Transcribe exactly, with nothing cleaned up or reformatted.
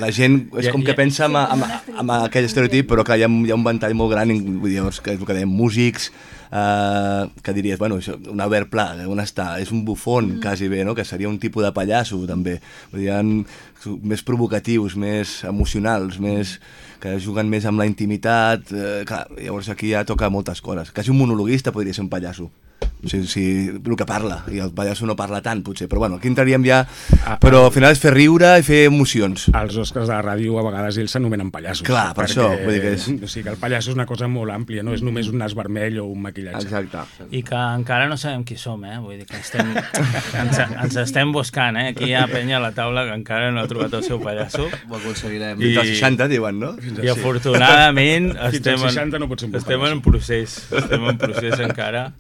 La gent és com que pensa en, en, en aquell estereotip, però clar, hi ha, hi ha un ventall molt gran, vull dir, que és el que dèiem, músics, eh, que diries, bueno, això, un Albert Pla, on està? És un bufón, mm. quasi bé, no? Que seria un tipus de pallasso, també. Vull dir, hi ha més provocatius, més emocionals, més que juguen més amb la intimitat, eh, clar, llavors aquí ja toca moltes coses. Quasi un monologuista podria ser un pallasso. O sigui, si, el que parla, i el pallasso no parla tant, potser, però bueno, aquí entraríem ja... Però al final és fer riure i fer emocions. Els Oscars de la ràdio a vegades ells s'anomenen pallassos. Clar, per perquè, això, vull dir que és... O sigui que el pallasso és una cosa molt àmplia, no és només un nas vermell o un maquillatge. Exacte. I que encara no sabem qui som, eh? Vull dir que estem, ens, ens estem buscant, eh? Aquí hi ha penya a la taula que encara no ha trobat el seu pallasso. Ho aconseguirem. I... Fins als seixanta, diuen, no? I afortunadament estem, seixanta no pot ser un estem en procés. Estem en procés encara.